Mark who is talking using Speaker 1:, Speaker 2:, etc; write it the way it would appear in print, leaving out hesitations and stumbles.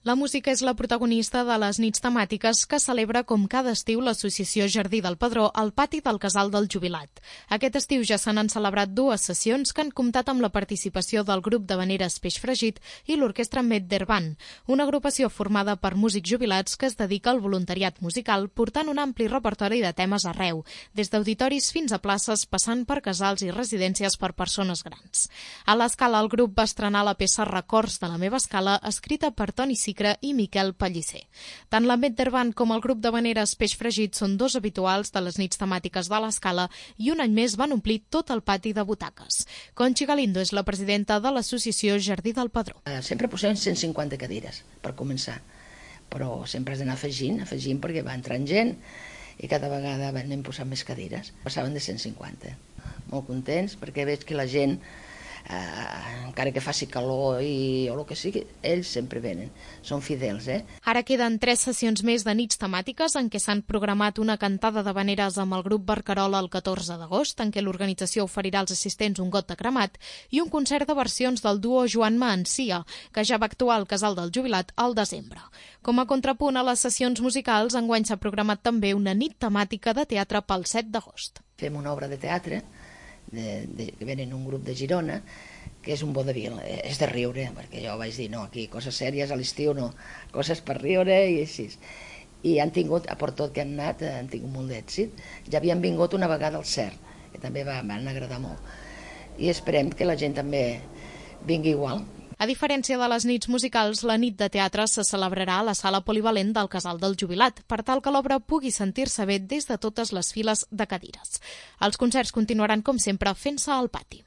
Speaker 1: La música és la protagonista de les nits temàtiques que celebra com cada estiu l'Associació Jardí del Pedró al pati del Casal del Jubilat. Aquest estiu ja se n'han celebrat 2 sessions que han comptat amb la participació del grup d'havaneres Peix Fregit i l'orquestra Meddervan, una agrupació formada per músics jubilats que es dedica al voluntariat musical portant un ampli repertori de temes arreu, des d'auditoris fins a places passant per casals i residències per persones grans. A l'Escala el grup va estrenar la peça Records de la meva escala, escrita per Toni Sicra i Miquel Pellicer. Tant la Meddervan com el grup d'havaneres Peix Fregit són 2 habituals de les nits temàtiques de l'Escala i un any més van omplir tot el pati de butaques. Conchi Galindo és la presidenta de l'associació Jardí del Pedró.
Speaker 2: Sempre posem 150 cadires, per començar, però sempre has d'anar afegint perquè va entrant gent i cada vegada anem posant més cadires. Passaven de 150. Molt contents perquè veig que la gent, encara que faci calor o el que sigui, ells sempre venen, són fidels.
Speaker 1: Ara queden 3 sessions més de nits temàtiques en què s'han programat una cantada d'havaneres amb el grup Barcarola el 14 d'agost, en què l'organització oferirà als assistents un got de cremat, i un concert de versions del duo Joan Maancia, que ja va actuar al Casal del Jubilat al desembre. Com a contrapunt a les sessions musicals, enguany s'ha programat també una nit temàtica de teatre pel 7 d'agost.
Speaker 2: Fem una obra de teatre que venen un grup de Girona, que és un vodevil, és de riure, perquè jo vaig dir, no, aquí coses sèries a l'estiu no, coses per riure i així. I han tingut, per tot que han anat, han tingut molt d'èxit. Ja havien vingut una vegada al CERN, que també van agradar molt. I esperem que la gent també vingui igual.
Speaker 1: A diferència de les nits musicals, la nit de teatre se celebrarà a la sala polivalent del Casal del Jubilat, per tal que l'obra pugui sentir-se bé des de totes les files de cadires. Els concerts continuaran, com sempre, fent-se al pati.